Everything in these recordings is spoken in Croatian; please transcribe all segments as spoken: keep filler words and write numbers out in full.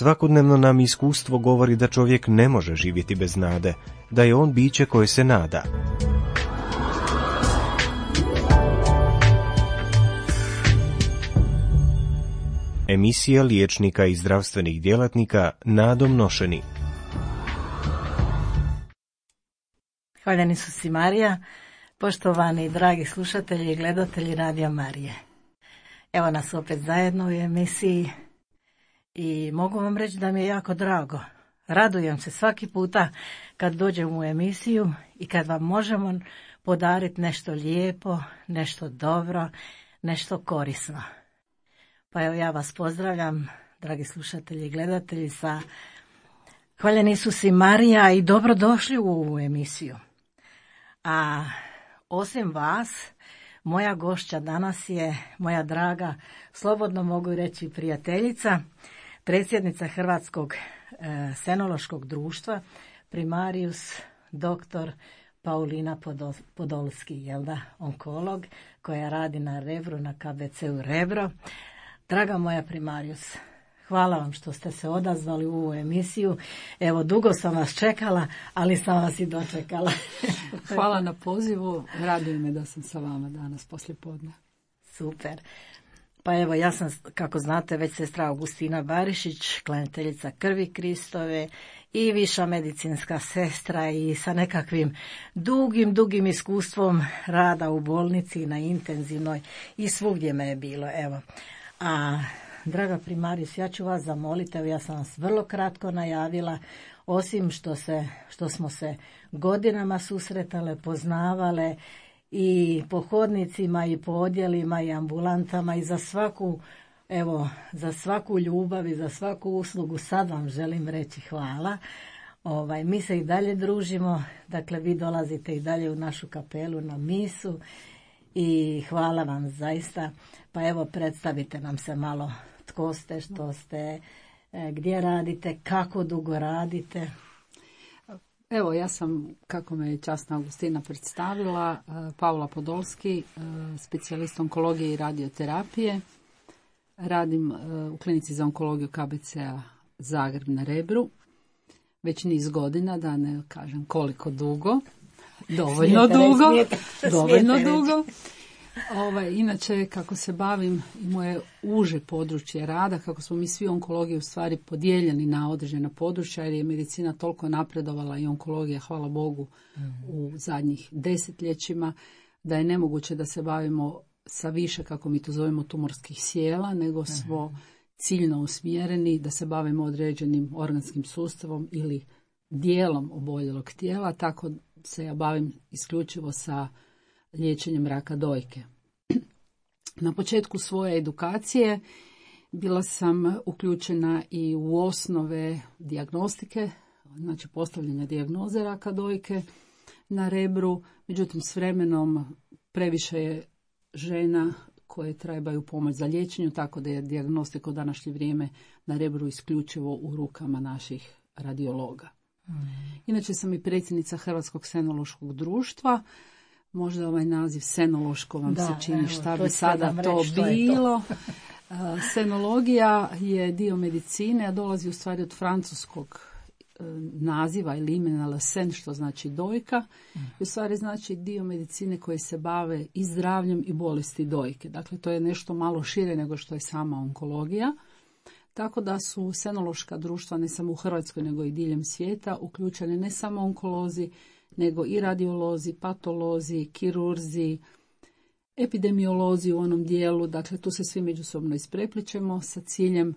Svakodnevno nam iskustvo govori da čovjek ne može živjeti bez nade, da je on biće koje se nada. Emisija liječnika i zdravstvenih djelatnika nadom nošeni. Hvaljeni su si Marija, poštovani dragi slušatelji i gledatelji Radija Marije. Evo nas opet zajedno u emisiji i mogu vam reći da mi je jako drago. Radujem se svaki puta kad dođem u emisiju i kad vam možemo podariti nešto lijepo, nešto dobro, nešto korisno. Pa evo ja vas pozdravljam, dragi slušatelji i gledatelji, sa Hvaljeni su si Marija i dobrodošli u ovu emisiju. A osim vas, moja gošća danas je moja draga, slobodno mogu reći prijateljica, predsjednica Hrvatskog e, senološkog društva, primarius doktor Paulina Podol, Podolski, jel da, onkolog, koja radi na Rebru, na K B C-u Rebro. Draga moja primarius, hvala vam što ste se odazvali u ovu emisiju. Evo, dugo sam vas čekala, ali sam vas i dočekala. Hvala na pozivu. Raduje me da sam sa vama danas poslijepodne. Super. Pa evo, ja sam, kako znate, već sestra Augustina Barišić, klanjateljica krvi Kristove i viša medicinska sestra i sa nekakvim dugim, dugim iskustvom rada u bolnici, na intenzivnoj i svugdje me je bilo, evo. A draga primarius, ja ću vas zamoliti, evo ja sam vas vrlo kratko najavila, osim što, se, što smo se godinama susretale, poznavale i po hodnicima i po odjelima i ambulantama i za svaku, evo, za svaku ljubav i za svaku uslugu sad vam želim reći hvala. Ovaj, mi se i dalje družimo, dakle vi dolazite i dalje u našu kapelu na misu i hvala vam zaista. Pa evo, predstavite nam se malo tko ste, što ste, gdje radite, kako dugo radite. Evo, ja sam, kako me je časna Augustina predstavila, Paula Podolski, specijalist onkologije i radioterapije. Radim u klinici za onkologiju K B C-a Zagreb na Rebru. Već niz godina, da ne kažem koliko dugo. Dovoljno smijete, dugo. Smijete, dovoljno smijete dugo. Ovaj, inače, kako se bavim i moje uže područje rada, kako smo mi svi onkologiji u stvari podijeljeni na određena područja, jer je medicina toliko napredovala i onkologija, hvala Bogu, mm-hmm. u zadnjih desetljećima, da je nemoguće da se bavimo sa više, kako mi to zovemo, tumorskih sjela, nego smo mm-hmm. ciljno usmjereni da se bavimo određenim organskim sustavom ili dijelom oboljelog tijela, tako se ja bavim isključivo sa liječenjem raka dojke. Na početku svoje edukacije bila sam uključena i u osnove dijagnostike, znači postavljanja dijagnoze raka dojke na Rebru, međutim s vremenom previše je žena koje trebaju pomoć za liječenju, tako da je dijagnostika u današnje vrijeme na Rebru isključivo u rukama naših radiologa. Mm. Inače sam i predsjednica Hrvatskog senološkog društva. Možda ovaj naziv senološko vam da, se čini evo, šta bi sada to bilo. To. Senologija je dio medicine, a dolazi u stvari od francuskog naziva ili imena la sen, što znači dojka. Mm. I u stvari znači dio medicine koje se bave i zdravljem i bolesti dojke. Dakle, to je nešto malo šire nego što je sama onkologija. Tako da su senološka društva ne samo u Hrvatskoj nego i diljem svijeta uključene ne samo onkolozi, nego i radiolozi, patolozi, kirurzi, epidemiolozi u onom dijelu. Dakle, tu se svi međusobno isprepličemo sa ciljem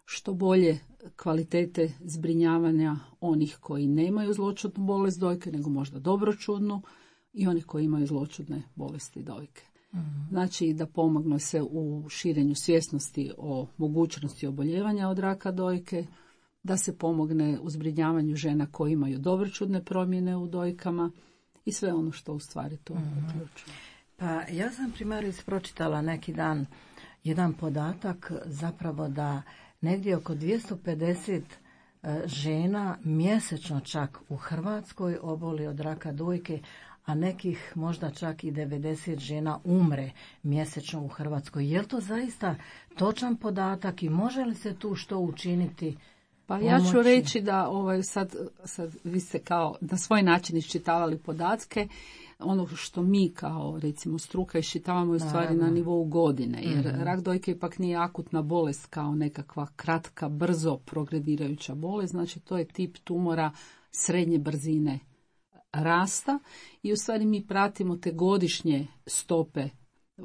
što bolje kvalitete zbrinjavanja onih koji nemaju zloćudnu bolest dojke, nego možda dobročudnu, i onih koji imaju zloćudne bolesti dojke. Mm-hmm. Znači da pomogne se u širenju svjesnosti o mogućnosti oboljevanja od raka dojke, da se pomogne u zbrinjavanju žena koji imaju dobročudne promjene u dojkama i sve ono što u stvari to mm-hmm. uključuje. Pa ja sam primarius pročitala neki dan jedan podatak zapravo da negdje oko dvjesto pedeset žena mjesečno čak u Hrvatskoj oboli od raka dojke, a nekih možda čak i devedeset žena umre mjesečno u Hrvatskoj. Je li to zaista točan podatak i može li se tu što učiniti Pa ja ću reći da ovaj, sad, sad vi ste kao na svoj način iščitavali podatke. Ono što mi kao recimo struka iščitavamo je u stvari na nivou godine, jer mm-hmm. rak dojke ipak nije akutna bolest kao nekakva kratka, brzo progredirajuća bolest, znači to je tip tumora srednje brzine rasta i u stvari mi pratimo te godišnje stope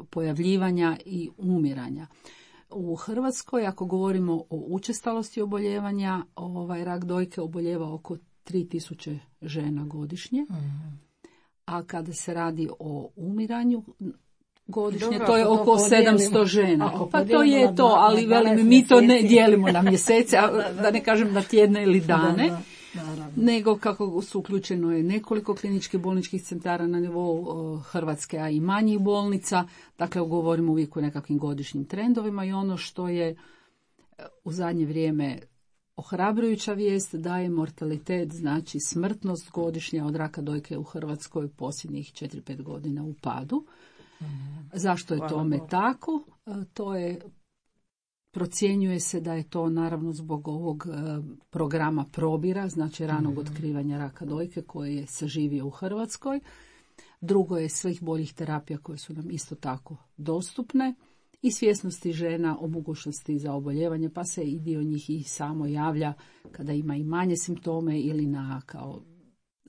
pojavljivanja i umiranja. U Hrvatskoj, ako govorimo o učestalosti oboljevanja, ovaj rak dojke oboljeva oko tri tisuće žena godišnje. Mm-hmm. A kada se radi o umiranju godišnje, dobro, to je oko to sedamsto žena. Pa to je to, ali velim, mi to ne dijelimo na mjesece, a da ne kažem na tjedne ili dane, da, da, da, nego kako su uključeno je nekoliko kliničkih bolničkih centara na nivou Hrvatske, a i manjih bolnica. Dakle, govorimo uvijek o nekakvim godišnjim trendovima i ono što je u zadnje vrijeme ohrabrujuća vijest da je mortalitet, znači smrtnost godišnja od raka dojke u Hrvatskoj posljednjih četiri pet godina u padu. Mm. Zašto je tome Hvala tako? To je, procjenjuje se da je to naravno zbog ovog programa Probira, znači ranog mm. otkrivanja raka dojke koje je saživio u Hrvatskoj. Drugo je svih boljih terapija koje su nam isto tako dostupne. I svjesnosti žena o mogućnosti za oboljevanje, pa se i dio njih i samo javlja kada ima i manje simptome ili na kao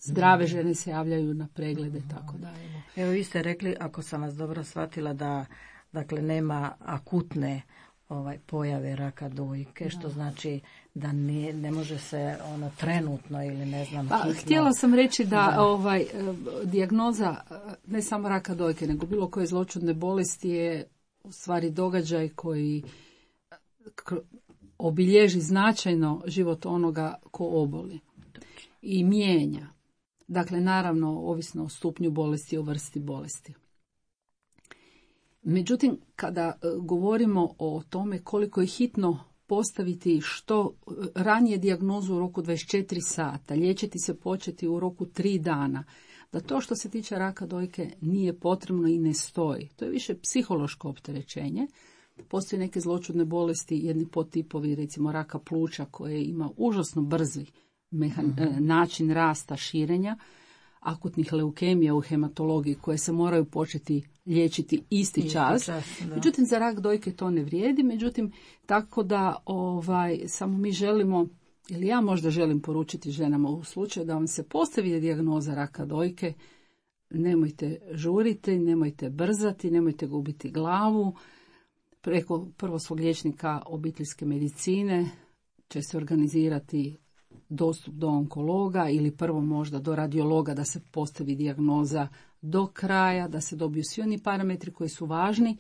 zdrave žene se javljaju na preglede, tako da. Evo, evo vi ste rekli, ako sam vas dobro shvatila, da dakle nema akutne ovaj pojave raka dojke, da. Što znači da ne, ne može se ono trenutno ili ne znam pa, hitno. Htjela sam reći da, da. ovaj dijagnoza ne samo raka dojke, nego bilo koje zloćudne bolesti je u stvari događaj koji obilježi značajno život onoga ko oboli i mijenja. Dakle, naravno, ovisno o stupnju bolesti i o vrsti bolesti. Međutim, kada govorimo o tome koliko je hitno postaviti što ranije dijagnozu u roku dvadeset četiri sata, liječiti se početi u roku tri dana, da to što se tiče raka dojke nije potrebno i ne stoji. To je više psihološko opterećenje. Postoje neke zloćudne bolesti, jedni podtipovi, recimo raka pluća, koje ima užasno brzi mehan, mm-hmm. način rasta, širenja, akutnih leukemija u hematologiji koje se moraju početi liječiti isti, isti čas. čas međutim, za rak dojke to ne vrijedi. Međutim, tako da ovaj, samo mi želimo, ili ja možda želim poručiti ženama u slučaju da vam se postavi dijagnoza raka dojke, nemojte žuriti, nemojte brzati, nemojte gubiti glavu. Preko prvo svog liječnika obiteljske medicine će se organizirati dostup do onkologa ili prvo možda do radiologa da se postavi dijagnoza do kraja, da se dobiju svi oni parametri koji su važni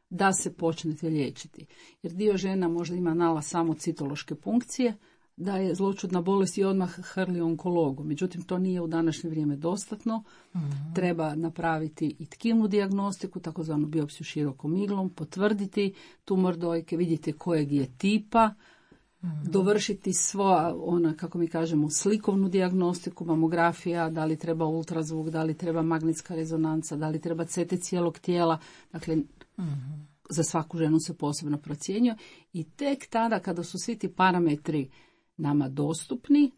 da se počnete liječiti. Jer dio žena možda ima nalaz samo citološke punkcije, da je zloćudna bolest i odmah hrli onkologu. Međutim, to nije u današnje vrijeme dostatno. Mm-hmm. Treba napraviti i tkivnu dijagnostiku, takozvanu biopsiju širokom iglom, potvrditi tumor dojke, vidjeti kojeg je tipa, mm-hmm. dovršiti svo, ona, kako mi kažemo, slikovnu dijagnostiku, mamografija, da li treba ultrazvuk, da li treba magnetska rezonanca, da li treba C T cijelog tijela. Dakle, mm-hmm. za svaku ženu se posebno procjenjuje i tek tada kada su svi ti parametri nama dostupni,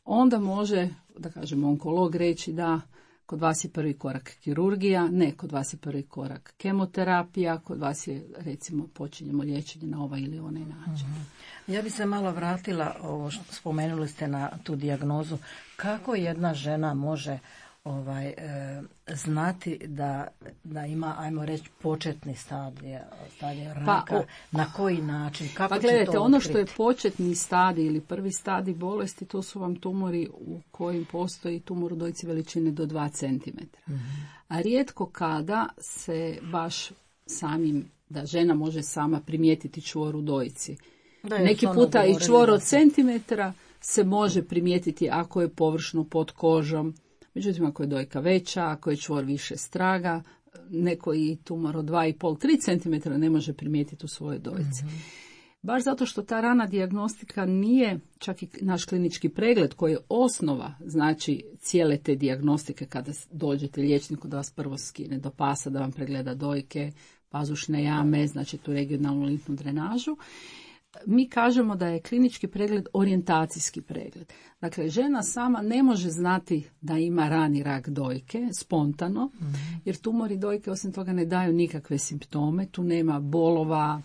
onda može, da kažemo, onkolog reći da kod vas je prvi korak kirurgija, ne, kod vas je prvi korak kemoterapija, kod vas je, recimo, počinjemo liječenje na ovaj ili onaj način. Mm-hmm. Ja bi se malo vratila, ovo što spomenuli ste na tu dijagnozu, kako jedna žena može ovaj e, znati da, da ima, ajmo reći, početni stadij, stadij raka, pa, o, na koji način, kako pa će gledajte, to ono otkriti? Što je početni stadij ili prvi stadij bolesti, to su vam tumori u kojim postoji tumor u dojci veličine do dva centimetra. Mm-hmm. A rijetko kada se baš samim, da žena može sama primijetiti čvor u dojci. Da, neki puta i čvor od centimetra se može primijetiti ako je površno pod kožom. Međutim, ako je dojka veća, ako je čvor više straga, neko i tumor od dva i pol do tri centimetra ne može primijetiti u svojoj dojci. Mm-hmm. Baš zato što ta rana dijagnostika nije čak i naš klinički pregled koji je osnova, znači cijele te dijagnostike kada dođete liječniku da vas prvo skine do pasa, da vam pregleda dojke, pazušne jame, znači tu regionalnu limfnu drenažu. mi kažemo da je klinički pregled orijentacijski pregled. Dakle, žena sama ne može znati da ima rani rak dojke spontano, mm-hmm. jer tumori dojke osim toga ne daju nikakve simptome, tu nema bolova,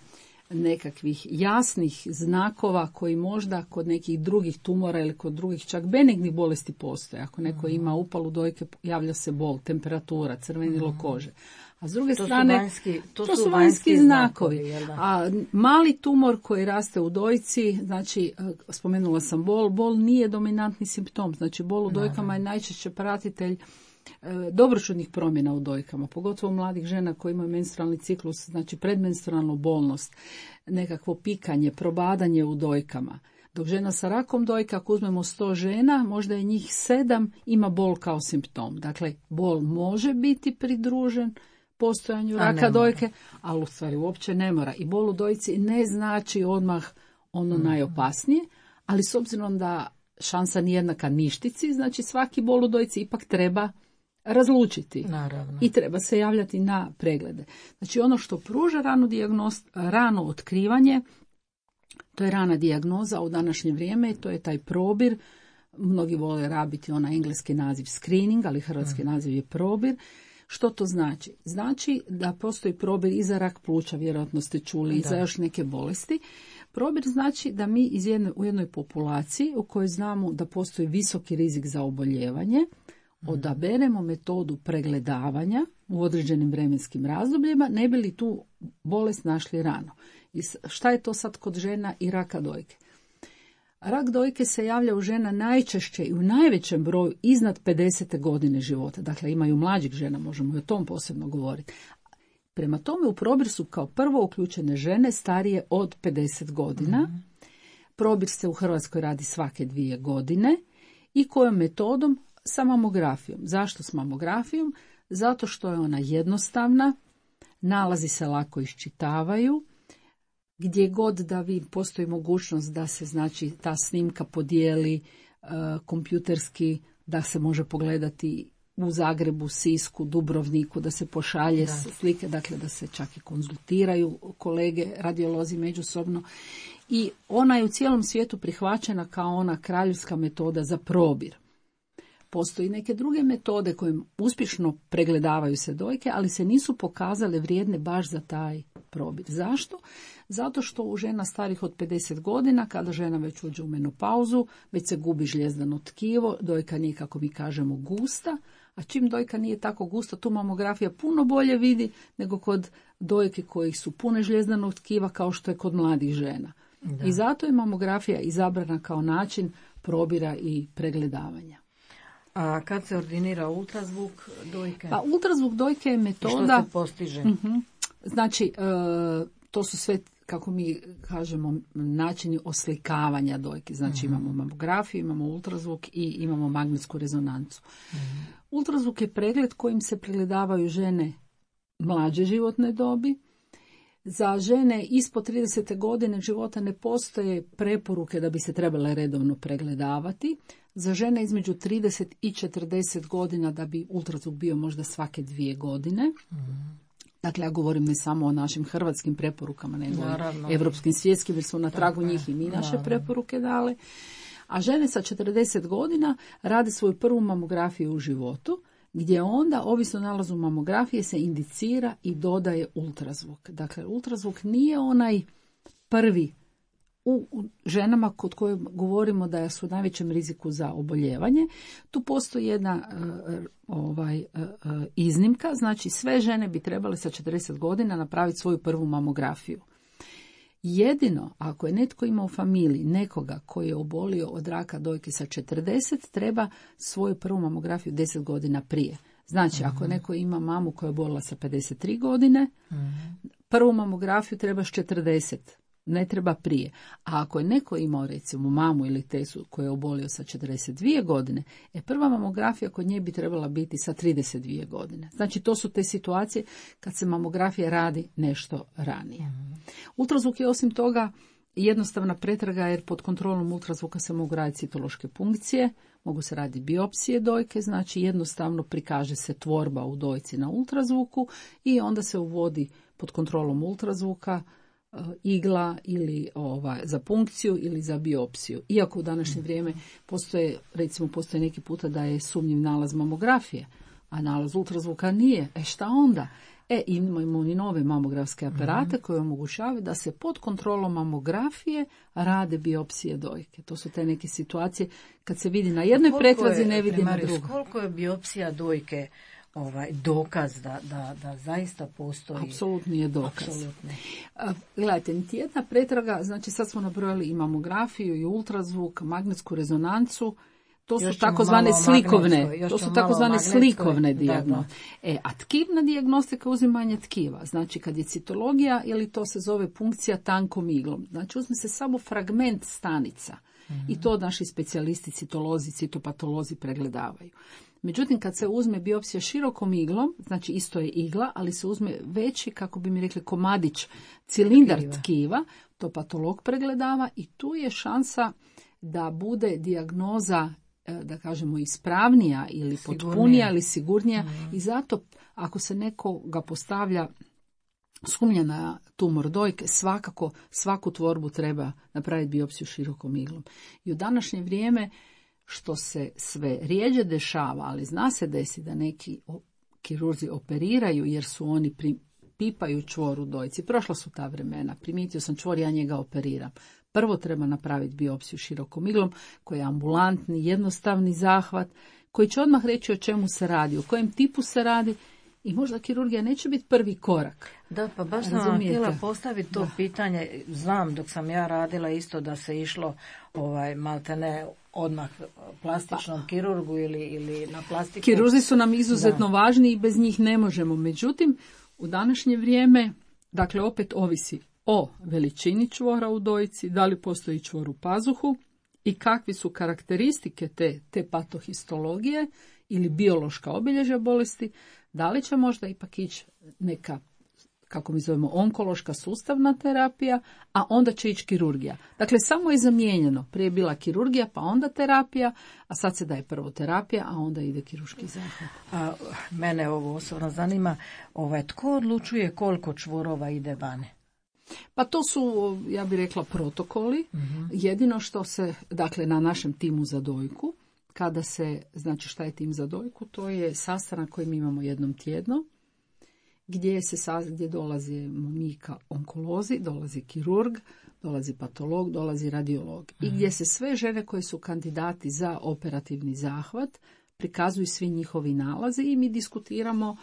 nekakvih jasnih znakova koji možda kod nekih drugih tumora ili kod drugih čak benignih bolesti postoje. Ako neko mm-hmm. ima upalu dojke, javlja se bol, temperatura, crvenilo mm-hmm. kože. A s druge to strane, su vanjski, to to su su vanjski znakovi. znakovi a mali tumor koji raste u dojci, znači, spomenula sam bol, bol nije dominantni simptom. Znači, bol u dojkama je najčešće pratitelj dobročudnih promjena u dojkama, pogotovo mladih žena koji imaju menstrualni ciklus, znači predmenstrualnu bolnost, nekakvo pikanje, probadanje u dojkama. Dok žena sa rakom dojke, ako uzmemo sto žena, možda je njih sedam ima bol kao simptom. Dakle, bol može biti pridružen postojanju raka dojke, ali u stvari uopće ne mora. I bol u dojci ne znači odmah ono mm. najopasnije, ali s obzirom da šansa nije jednaka ništici, znači svaki bol u dojci ipak treba razlučiti. Naravno. I treba se javljati na preglede. Znači ono što pruža ranu dijagnost, rano otkrivanje, to je rana dijagnoza u današnje vrijeme, to je taj probir. Mnogi vole rabiti onaj engleski naziv screening, ali hrvatski mm. naziv je probir. Što to znači? Znači da postoji probir i za rak pluća, vjerojatno ste čuli, i za još neke bolesti. Probir znači da mi iz jedne, u jednoj populaciji u kojoj znamo da postoji visoki rizik za oboljevanje, odaberemo metodu pregledavanja u određenim vremenskim razdobljima, ne bi li tu bolest našli rano. I šta je to sad kod žena i raka dojke? Rak dojke se javlja u žena najčešće i u najvećem broju iznad pedesete godine života. Dakle, imaju mlađih žena, možemo i o tom posebno govoriti. Prema tome u probir su kao prvo uključene žene starije od pedeset godina. Mm-hmm. Probir se u Hrvatskoj radi svake dvije godine. I kojom metodom? Sa mamografijom. Zašto s mamografijom? Zato što je ona jednostavna, nalazi se lako iščitavaju, gdje god da vi postoji mogućnost da se znači ta snimka podijeli uh, kompjuterski, da se može pogledati u Zagrebu, Sisku, Dubrovniku, da se pošalje da. slike, dakle da se čak i konzultiraju kolege radiolozi međusobno. I ona je u cijelom svijetu prihvaćena kao ona kraljevska metoda za probir. Postoji neke druge metode koje uspješno pregledavaju se dojke, ali se nisu pokazale vrijedne baš za taj probir. Zašto? Zato što u žena starih od pedeset godina, kada žena već uđe u menopauzu, već se gubi žljezdano tkivo, dojka nije, kako mi kažemo, gusta, a čim dojka nije tako gusta, tu mamografija puno bolje vidi nego kod dojke kojih su pune žljezdanog tkiva, kao što je kod mladih žena. Da. I zato je mamografija izabrana kao način probira i pregledavanja. A kad se ordinira ultrazvuk dojke? Pa ultrazvuk dojke je metoda... Što se postiže? Uh-huh. Znači, uh, to su sve, kako mi kažemo, načini oslikavanja dojke. Znači, uh-huh. imamo mamografiju, imamo ultrazvuk i imamo magnetsku rezonancu. Uh-huh. Ultrazvuk je pregled kojim se pregledavaju žene mlađe životne dobi. Za žene ispod tridesete godine života ne postoje preporuke da bi se trebale redovno pregledavati. Za žene između trideset i četrdeset godina da bi ultrazvuk bio možda svake dvije godine. Mm. Dakle, ja govorim ne samo o našim hrvatskim preporukama, nego i evropskim, svjetskim, jer su na tragu njih i mi naše Naravno. preporuke dale. A žene sa četrdeset godina rade svoju prvu mamografiju u životu, gdje onda, ovisno o nalazu mamografije, se indicira i dodaje ultrazvuk. Dakle, ultrazvuk nije onaj prvi u ženama kod koje govorimo da su u najvećem riziku za oboljevanje. Tu postoji jedna uh, ovaj, uh, iznimka, znači sve žene bi trebale sa četrdeset godina napraviti svoju prvu mamografiju. Jedino ako je netko imao u familiji nekoga koji je obolio od raka dojke sa četrdeset, treba svoju prvu mamografiju deset godina prije. Znači, mm-hmm. ako neko ima mamu koja je obolila sa pedeset tri godine, mm-hmm. prvu mamografiju treba s četrdeset. Ne treba prije. A ako je neko imao recimo mamu ili tesu koja je obolio sa četrdeset dvije godine, e prva mamografija kod nje bi trebala biti sa trideset dvije godine. Znači to su te situacije kad se mamografija radi nešto ranije. Mm-hmm. Ultrazvuk je osim toga jednostavna pretraga jer pod kontrolom ultrazvuka se mogu raditi citološke punkcije, mogu se raditi biopsije dojke, znači jednostavno prikaže se tvorba u dojci na ultrazvuku i onda se uvodi pod kontrolom ultrazvuka igla ili ova, za punkciju ili za biopsiju. Iako u današnje vrijeme postoje, recimo postoje neki puta da je sumnjiv nalaz mamografije, a nalaz ultrazvuka nije. E šta onda? E, imamo i nove mamografske aparate mm-hmm. koje omogućavaju da se pod kontrolom mamografije rade biopsije dojke. To su te neke situacije kad se vidi na jednoj pretrazi, ne vidi na drugoj. Koliko je biopsija dojke ovaj dokaz da, da, da zaista postoji? Apsolutni je dokaz. Apsolutni. Gledajte, niti jedna pretraga, znači sad smo nabrojali i mamografiju i ultrazvuk, magnetsku rezonancu, to su takozvane slikovne, to su takozvane slikovne dijagnoze. E, a tkivna dijagnostika uzimanje tkiva, znači kad je citologija ili to se zove punkcija tankom iglom, znači uzme se samo fragment stanica mm-hmm. i to naši specijalisti citolozi, citopatolozi pregledavaju. Međutim, kad se uzme biopsija širokom iglom, znači isto je igla, ali se uzme veći, kako bi mi rekli, komadić, cilindar tkiva, tkiva to patolog pregledava i tu je šansa da bude dijagnoza, da kažemo, ispravnija ili sigurnija. potpunija ili sigurnija. Mm. I zato, ako se nekoga postavlja sumnja na tumor dojke, svakako svaku tvorbu treba napraviti biopsiju širokom iglom. I u današnje vrijeme, što se sve rijeđe dešava, ali zna se desi da neki kirurzi operiraju jer su oni pri, pipaju čvor u dojci. Prošla su ta vremena, primijetio sam čvor, ja njega operiram. Prvo treba napraviti biopsiju širokom iglom, koji je ambulantni, jednostavni zahvat, koji će odmah reći o čemu se radi, o kojem tipu se radi i možda kirurgija neće biti prvi korak. Da, pa baš sam vam htjela postaviti to da. pitanje. Znam dok sam ja radila isto da se išlo ovaj, maltene odmah plastičnom pa. kirurgu ili, ili na plastiku. Kirurzi su nam izuzetno da. važni i bez njih ne možemo. Međutim, u današnje vrijeme, dakle opet ovisi o veličini čvora u dojci, da li postoji čvor u pazuhu i kakvi su karakteristike te, te patohistologije ili biološka obilježja bolesti, da li će možda ipak ići neka, kako mi zovemo, onkološka sustavna terapija, a onda će ići kirurgija. Dakle, samo je zamijenjeno. Prije je bila kirurgija, pa onda terapija, a sad se daje prvo terapija, a onda ide kirurški zahvat. A, mene ovo osobno zanima, ovaj, tko odlučuje koliko čvorova ide vane? Pa to su, ja bih rekla, protokoli. Mm-hmm. Jedino što se, dakle, na našem timu za dojku, kada se, znači šta je tim za dojku, to je sastanak koji mi imamo jednom tjedno, gdje se gdje dolazi mi ka onkolozi, dolazi kirurg, dolazi patolog, dolazi radiolog. Mm-hmm. I gdje se sve žene koje su kandidati za operativni zahvat prikazuju svi njihovi nalazi i mi diskutiramo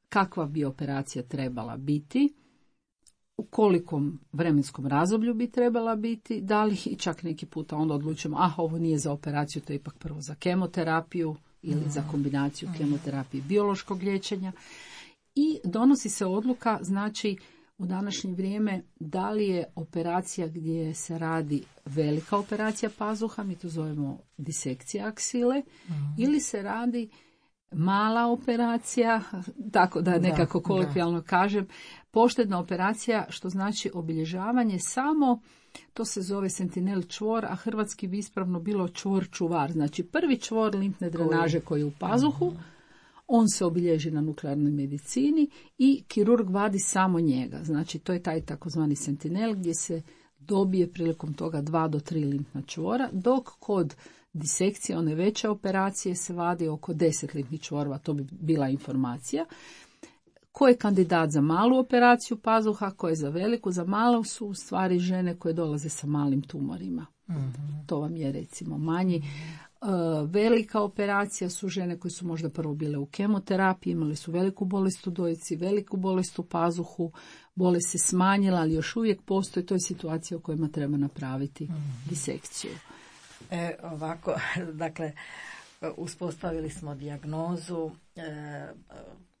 kakva bi operacija trebala biti, u kolikom vremenskom razdoblju bi trebala biti, da li i čak neki puta onda odlučimo, ah, ovo nije za operaciju, to je ipak prvo za kemoterapiju ili mm. za kombinaciju kemoterapije i biološkog liječenja. I donosi se odluka, znači, u današnje vrijeme, da li je operacija gdje se radi velika operacija pazuha, mi to zovemo disekcija aksile, mm. ili se radi mala operacija, tako da nekako kolokvijalno kažem, poštedna operacija, što znači obilježavanje samo, to se zove sentinel čvor, a hrvatski bi ispravno bilo čvor čuvar. Znači prvi čvor limfne drenaže koji je u pazuhu, on se obilježi na nuklearnoj medicini i kirurg vadi samo njega. Znači to je taj takozvani sentinel gdje se dobije prilikom toga dva do tri limfna čvora, dok kod disekcije, one veće operacije, se vadi oko deset limfnih čvorova, to bi bila informacija. Ko je kandidat za malu operaciju pazuha, ko je za veliku, za malu su u stvari žene koje dolaze sa malim tumorima. Mm-hmm. To vam je recimo manji. Uh, velika operacija su žene koje su možda prvo bile u kemoterapiji, imali su veliku bolest u dojci, veliku bolest u pazuhu, bolest se smanjila, ali još uvijek postoji, to je situacija u kojima treba napraviti mm-hmm. disekciju. E, ovako, dakle, uspostavili smo dijagnozu, e,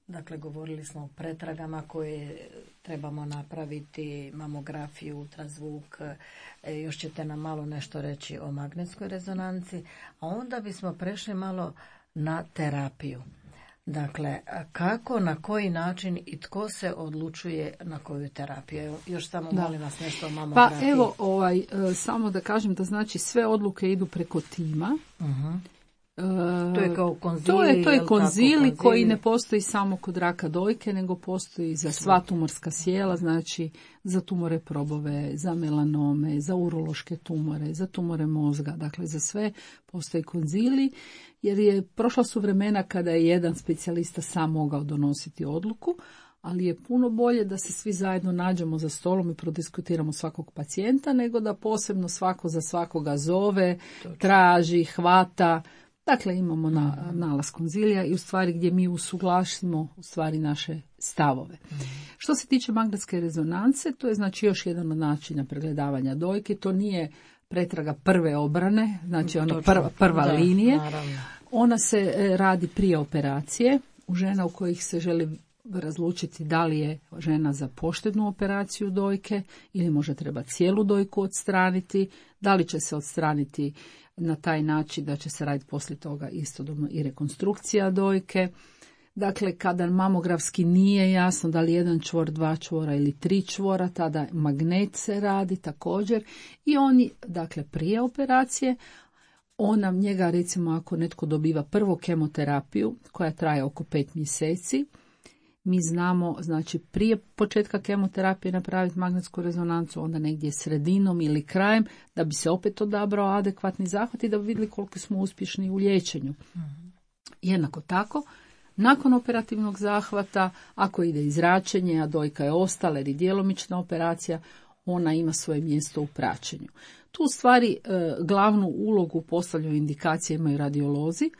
dakle, govorili smo o pretragama koje trebamo napraviti, mamografiju, ultrazvuk, e, još ćete nam malo nešto reći o magnetskoj rezonanci, a onda bismo prešli malo na terapiju. Dakle, kako, na koji način i tko se odlučuje na koju terapiju? Evo, još samo da. molim vas nešto o mamografiji. Pa evo, ovaj, samo da kažem da znači sve odluke idu preko tima. Uh-huh. To je kao konzili. To je, to je konzili, konzili koji ne postoji samo kod raka dojke, nego postoji za sva tumorska sjela, znači za tumore probove, za melanome, za urološke tumore, za tumore mozga, dakle za sve postoji konzili, jer je prošla su vremena kada je jedan specijalista sam mogao donositi odluku, ali je puno bolje da se svi zajedno nađemo za stolom i prodiskutiramo svakog pacijenta, nego da posebno svako za svakoga zove, traži, hvata. Dakle, imamo na, nalaz konzilija i u stvari gdje mi usuglasimo u stvari naše stavove. Mm. Što se tiče magnetske rezonance, to je znači još jedan od načina pregledavanja dojke. To nije pretraga prve obrane, znači ona prva, prva da, linije. Naravno. Ona se radi prije operacije u žena u kojih se želi razlučiti da li je žena za poštednu operaciju dojke ili može treba cijelu dojku odstraniti, da li će se odstraniti na taj način da će se raditi poslije toga istodobno i rekonstrukcija dojke. Dakle, kada mamografski nije jasno da li jedan čvor, dva čvora ili tri čvora, tada magnet se radi također i oni, dakle, prije operacije, on nam njega, recimo, ako netko dobiva prvu kemoterapiju koja traje oko pet mjeseci, mi znamo, znači, prije početka kemoterapije napraviti magnetsku rezonancu, onda negdje sredinom ili krajem, da bi se opet odabrao adekvatni zahvat i da bi vidjeli koliko smo uspješni u liječenju. Mm-hmm. Jednako tako, nakon operativnog zahvata, ako ide izračenje, a dojka je ostala ili djelomična operacija, ona ima svoje mjesto u praćenju. Tu u stvari e, glavnu ulogu postavljaju indikacije imaju radiolozi,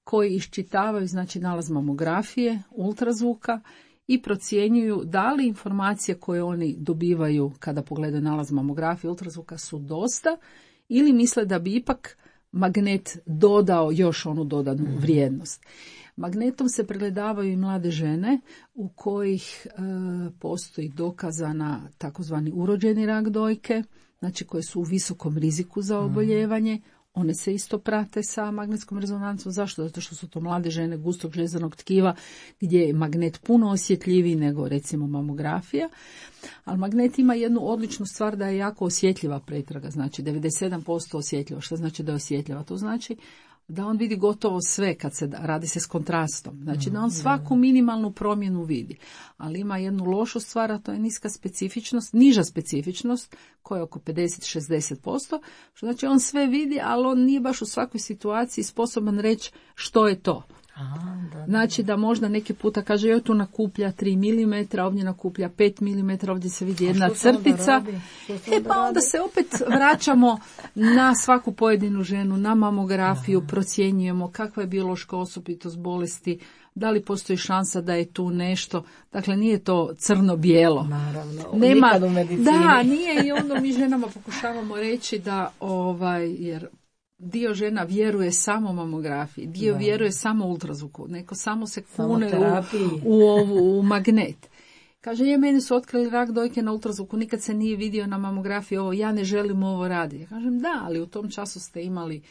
koji iščitavaju, znači, nalaz mamografije, ultrazvuka i procjenjuju da li informacije koje oni dobivaju kada pogledaju nalaz mamografije, ultrazvuka su dosta ili misle da bi ipak magnet dodao još onu dodanu vrijednost. Magnetom se pregledavaju i mlade žene u kojih e, postoji dokazana takozvani urođeni rak dojke, znači koje su u visokom riziku za oboljevanje. One se isto prate sa magnetskom rezonancom. Zašto? Zato što su to mlade žene gustog žljezanog tkiva gdje je magnet puno osjetljiviji nego recimo mamografija. Ali magnet ima jednu odličnu stvar da je jako osjetljiva pretraga. Znači devedeset sedam posto osjetljiva. Što znači da je osjetljiva? To znači da on vidi gotovo sve kad se radi se s kontrastom. Znači da on svaku minimalnu promjenu vidi. Ali ima jednu lošu stvar, a to je niska specifičnost, niža specifičnost koja je oko pedeset do šezdeset posto. Što znači on sve vidi, ali on nije baš u svakoj situaciji sposoban reći što je to. Aha, da, da. Znači da možda neki puta kaže joj tu nakuplja tri milimetra, ovdje nakuplja pet milimetara, ovdje se vidi jedna crtica. E pa onda se opet vraćamo na svaku pojedinu ženu, na mamografiju, aha, procjenjujemo kakva je biološka osobitost bolesti, da li postoji šansa da je tu nešto. Dakle, nije to crno-bijelo. Naravno, nema, nikad u medicini. Da, nije i onda mi ženama pokušavamo reći da, ovaj, jer dio žena vjeruje samo mamografiji, dio da. vjeruje samo ultrazvuku, neko samo se kune u, u, ovu, u magnet. Kaže, je, meni su otkrili rak dojke na ultrazvuku, nikad se nije vidio na mamografiji, ovo, ja ne želim ovo raditi. Ja kažem, da, ali u tom času ste imali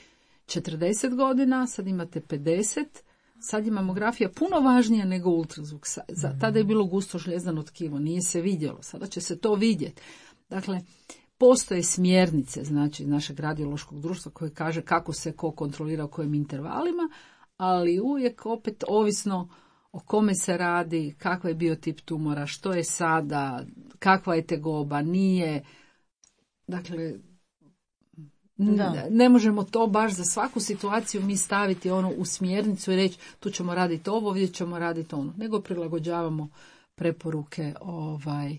četrdeset godina, sad imate pedeset, sad je mamografija puno važnija nego ultrazvuk. Tada je bilo gusto žljezdano tkivo, nije se vidjelo, sada će se to vidjeti. Dakle, postoje smjernice, znači, našeg radiološkog društva koje kaže kako se ko kontrolira u kojim intervalima, ali uvijek opet ovisno o kome se radi, kakva je biotip tumora, što je sada, kakva je tegoba, nije. Dakle, da. ne možemo to baš za svaku situaciju mi staviti ono u smjernicu i reći tu ćemo raditi ovo, ovdje ćemo raditi ono, nego prilagođavamo preporuke ovaj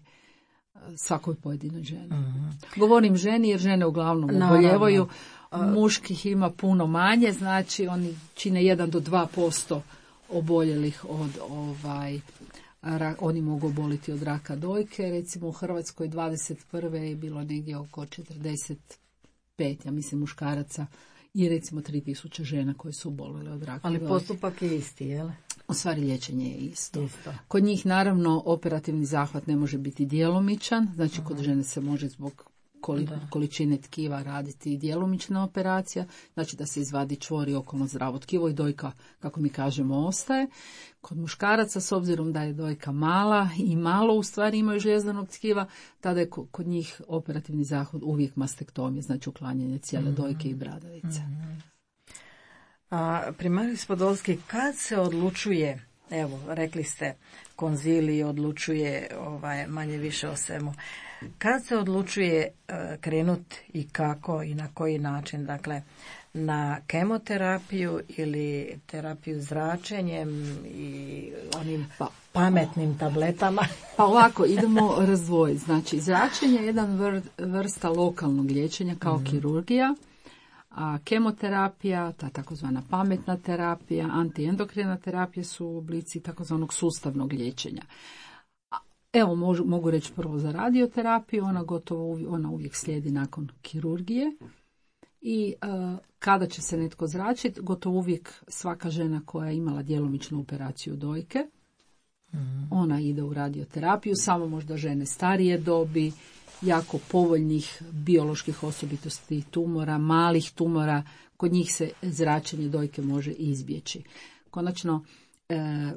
svakoj pojedinoj ženi. Mm-hmm. Govorim ženi jer žene uglavnom oboljevaju, muških ima puno manje, znači oni čine jedan do dva posto oboljelih od ovaj, rak, oni mogu oboliti od raka dojke. Recimo u Hrvatskoj dvadeset prve je bilo negdje oko četrdeset pet, ja mislim, muškaraca i recimo tri tisuće žena koje su obolile od raka Ali dojke. Postupak je isti, jel? U stvari liječenje je isto. isto. Kod njih naravno operativni zahvat ne može biti djelomičan, znači Aha. kod žene se može zbog koli, količine tkiva raditi i djelomična operacija, znači da se izvadi čvor i okolno zdravo tkivo i dojka, kako mi kažemo, ostaje. Kod muškaraca, s obzirom da je dojka mala i malo u stvari imaju žljezdanog tkiva, tada je kod njih operativni zahvat uvijek mastektomija, znači uklanjanje cijele mm-hmm. dojke i bradavice. Mm-hmm. A primaris Podolski, kad se odlučuje, evo, rekli ste, konzilij odlučuje ovaj, manje više o svemu, kad se odlučuje uh, krenut i kako i na koji način, dakle, na kemoterapiju ili terapiju zračenjem i onim pa, pametnim tabletama? Pa ovako, idemo razdvojiti. Znači, zračenje je jedan vr, vrsta lokalnog liječenja kao mm. kirurgija, a kemoterapija, ta takozvana pametna terapija, antiendokrina terapija su oblici takozvanog sustavnog liječenja. Evo, mogu, mogu reći prvo za radioterapiju, ona gotovo ona uvijek slijedi nakon kirurgije. I uh, kada će se netko zračiti, gotovo uvijek svaka žena koja je imala djelomičnu operaciju dojke, mm. ona ide u radioterapiju, samo možda žene starije dobi, jako povoljnih bioloških osobitosti tumora, malih tumora, kod njih se zračenje dojke može izbjeći. Konačno, e,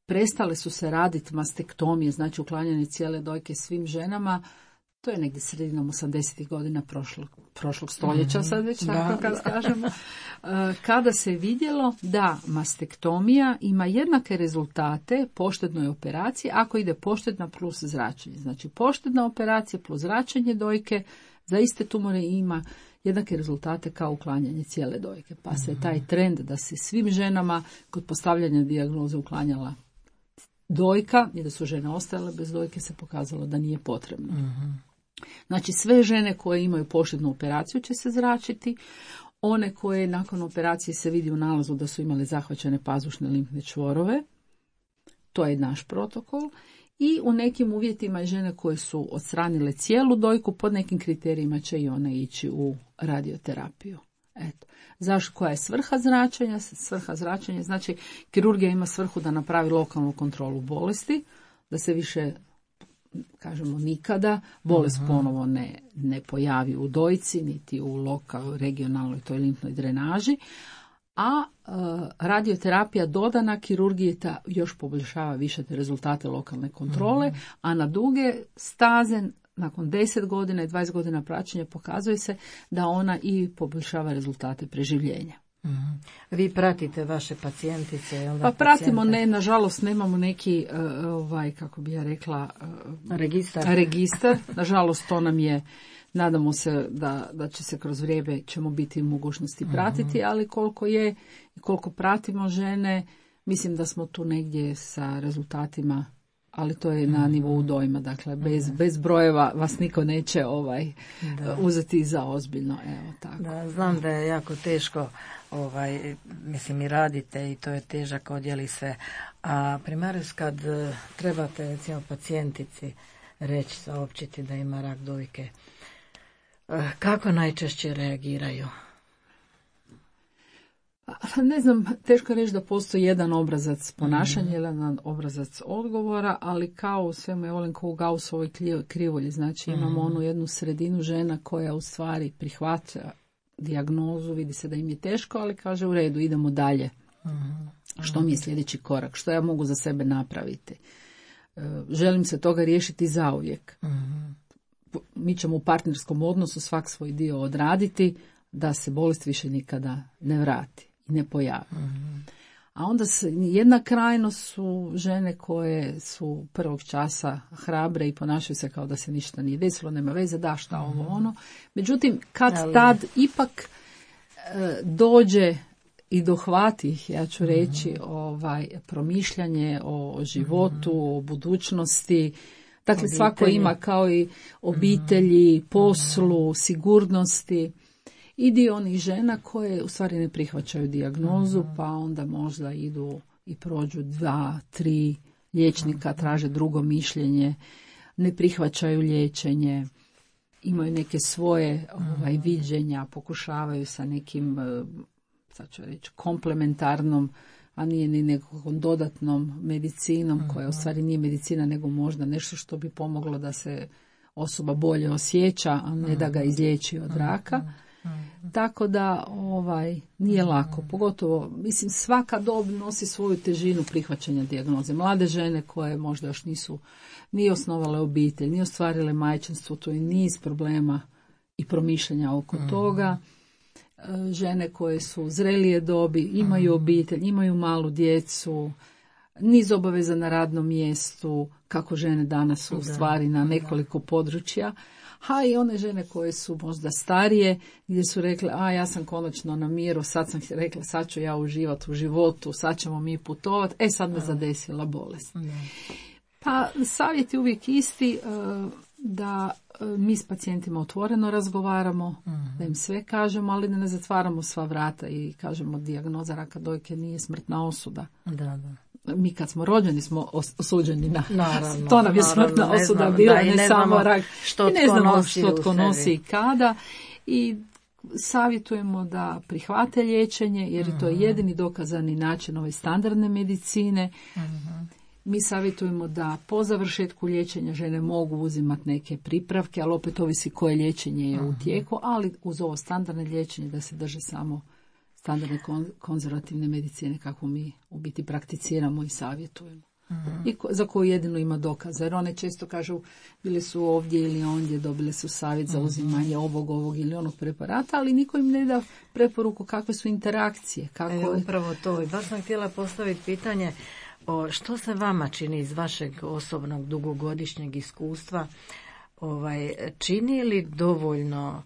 prestale su se raditi mastektomije, znači uklanjanje cijele dojke svim ženama. To je negdje sredinom osamdesetih godina prošlog, prošlog stoljeća, sad već tako kad kažemo, kada se vidjelo da mastektomija ima jednake rezultate poštednoj operaciji ako ide poštedna plus zračenje. Znači poštedna operacija plus zračenje dojke za iste tumore ima jednake rezultate kao uklanjanje cijele dojke. Pa se taj trend da se svim ženama kod postavljanja dijagnoze uklanjala dojka i da su žene ostajale bez dojke se pokazalo da nije potrebno. Mm-hmm. Znači sve žene koje imaju poštednu operaciju će se zračiti, one koje nakon operacije se vidi u nalazu da su imale zahvaćene pazušne limfne čvorove, to je naš protokol, i u nekim uvjetima žene koje su odstranile cijelu dojku, pod nekim kriterijima će i one ići u radioterapiju. Eto. Zašto, koja je svrha zračenja? Svrha zračenja, znači kirurgija ima svrhu da napravi lokalnu kontrolu bolesti, da se više, kažemo, nikada bolest uh-huh. ponovo ne, ne pojavi u dojci, niti u lokal, regionalnoj toj limfnoj drenaži, a e, radioterapija dodana kirurgiji ta još poboljšava više te rezultate lokalne kontrole, uh-huh. a na duge staze, nakon deset godina i dvadeset godina praćenja pokazuje se da ona i poboljšava rezultate preživljenja. Mm-hmm. Vi pratite vaše pacijentice? Jel da, pa pratimo, ne, nažalost nemamo neki, uh, ovaj, kako bi ja rekla, uh, registar. registar. Nažalost to nam je, nadamo se da, da će se kroz vrijeme ćemo biti u mogućnosti pratiti, mm-hmm. ali koliko je i koliko pratimo žene, mislim da smo tu negdje sa rezultatima, ali to je na nivou dojma, dakle bez, bez brojeva vas niko neće ovaj da. uzeti za ozbiljno. Evo, tako. Da, znam da je jako teško, ovaj, mislim i radite i to je težak odjel i sve. A primaris, kad trebate recimo pacijentici reći, saopćiti da ima rak dojke, kako najčešće reagiraju? Ne znam, teško reći da postoji jedan obrazac ponašanja, mm-hmm. jedan obrazac odgovora, ali kao u svemu je volim kao u Gaussovoj krivulji. Znači imamo mm-hmm. onu jednu sredinu žena koja u stvari prihvaća dijagnozu, vidi se da im je teško, ali kaže u redu, idemo dalje. Mm-hmm. Što mi je sljedeći korak? Što ja mogu za sebe napraviti? Želim se toga riješiti zauvijek. Mm-hmm. Mi ćemo u partnerskom odnosu svak svoj dio odraditi da se bolest više nikada ne vrati i ne pojavi. Mm-hmm. A onda se, jedna krajnost su žene koje su prvog časa hrabre i ponašaju se kao da se ništa nije desilo, nema veze, da šta ovo ono. Međutim, kad Ali... tad ipak e, dođe i dohvati ih, ja ću reći, mm-hmm. ovaj, promišljanje o životu, mm-hmm. o budućnosti. Dakle, obitelji. Svako ima kao i obitelji, mm-hmm. poslu, sigurnosti. I dio onih žena koje u stvari ne prihvaćaju dijagnozu, mm-hmm. pa onda možda idu i prođu dva, tri liječnika, traže drugo mišljenje, ne prihvaćaju liječenje, imaju neke svoje ovaj, viđenja, pokušavaju sa nekim, sad ću reći, komplementarnom, a nije ni nekom dodatnom medicinom, mm-hmm. koja u stvari nije medicina, nego možda nešto što bi pomoglo da se osoba bolje osjeća, a ne da ga izliječi od raka. Mm-hmm. Tako da ovaj nije lako, pogotovo, mislim, svaka dob nosi svoju težinu prihvaćanja dijagnoze. Mlade žene koje možda još nisu ni osnovale obitelj, ni ostvarile majčinstvo, to je niz problema i promišljanja oko mm-hmm. toga. žene koje su zrelije dobi, imaju obitelj, imaju malu djecu, niz obaveza na radnom mjestu, kako žene danas su u stvari na nekoliko područja, a i one žene koje su možda starije, gdje su rekle, a ja sam konačno na miru, sad sam rekla, sad ću ja uživati u životu, sad ćemo mi putovati, e sad me zadesila bolest. Pa savjet je uvijek isti, da mi s pacijentima otvoreno razgovaramo, da im sve kažemo, ali da ne zatvaramo sva vrata i kažemo dijagnoza raka dojke nije smrtna osuda. Da, da. Mi kad smo rođeni smo osuđeni na naravno, to nam je naravno, smrtna ne osuda znam, bila, da, ne, ne samo rak. Što I ne znamo nosi što tko nosi i sebi. kada. I savjetujemo da prihvate liječenje, jer je to jedini dokazani način ove standardne medicine. Uh-huh. Mi savjetujemo da po završetku liječenja žene mogu uzimati neke pripravke, ali opet ovisi koje liječenje je u tijeku, ali uz ovo standardne liječenje da se drže samo standardne konzervativne medicine kako mi u biti prakticiramo i savjetujemo. Uh-huh. I ko, za koju jedino ima dokaza. Jer one često kažu bili su ovdje ili ondje, dobile su savjet za uzimanje ovog, ovog ili onog preparata, ali niko im ne da preporuku kakve su interakcije. Kako... E, upravo to. I baš sam htjela postaviti pitanje o što se vama čini iz vašeg osobnog dugogodišnjeg iskustva, ovaj, čini li dovoljno,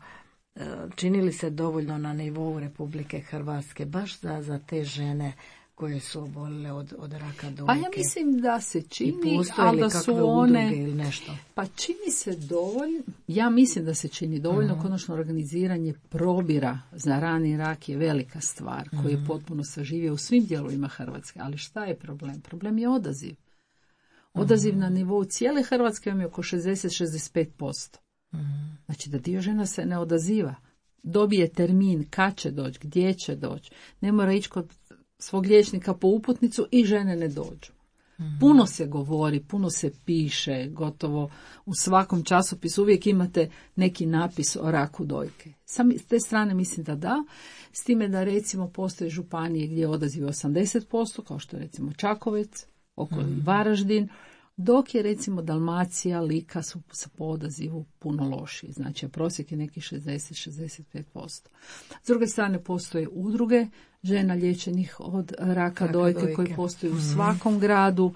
čini li se dovoljno na nivou Republike Hrvatske baš za, za te žene koje su obolile od, od raka dojke? Pa ja mislim da se čini, ali da su one... ili nešto? Pa čini se dovoljno, ja mislim da se čini dovoljno, uh-huh. konačno organiziranje probira za rani rak je velika stvar, uh-huh. koji je potpuno saživio u svim dijelovima Hrvatske, ali šta je problem? Problem je odaziv. Odaziv uh-huh. na nivou cijele Hrvatske vam je oko šezdeset do šezdeset pet posto. Uh-huh. Znači da dio žena se ne odaziva. Dobije termin kad će doći, gdje će doći, ne mora ići kod svog liječnika po uputnicu i žene ne dođu. Mm-hmm. Puno se govori, puno se piše, gotovo u svakom časopisu uvijek imate neki napis o raku dojke. Sam s te strane mislim da da, s time da recimo postoje županije gdje je odaziv osamdeset posto, kao što je recimo Čakovec, okolo mm-hmm. Varaždin, dok je recimo Dalmacija, Lika su po odazivu puno lošiji. Znači prosjek je neki šezdeset do šezdeset pet posto. S druge strane postoje udruge žena liječenih od raka, raka dojke, dojke koji postoje mm-hmm. u svakom gradu.